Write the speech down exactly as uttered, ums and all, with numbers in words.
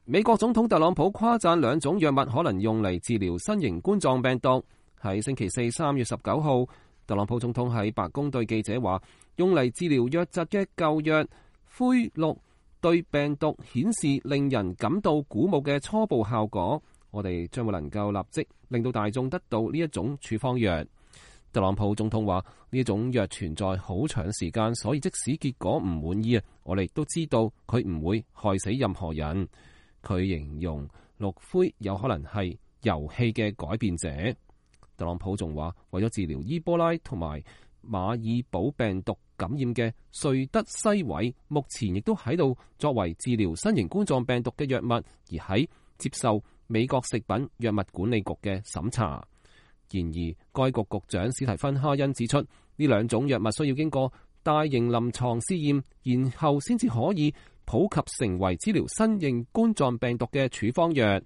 美國總統特朗普誇讚兩種藥物可能用嚟治療新型冠狀病毒。喺星期四三月十九號，特朗普總統喺白宮對記者話，用嚟治療瘧疾嘅舊藥灰氯對病毒顯示令人感到鼓舞嘅初步效果。我哋將會能夠立即令到大眾得到呢一種處方藥。特朗普總統話，呢一種藥存在好長時間，所以即使結果唔滿意啊，我哋亦都知道佢唔會害死任何人。佢形容氯灰有可能係遊戲嘅改變者。特朗普仲話，為咗治療伊波拉同埋馬爾堡病毒感染嘅瑞德西韋，目前亦都喺度作為治療新型冠狀病毒嘅藥物，而喺接受美國食品藥物管理局嘅審查。然而，該局局長史提芬哈恩指出，呢兩種藥物需要經過大型臨床試驗，然後先至可以普及成為治療新型冠狀病毒嘅處方藥。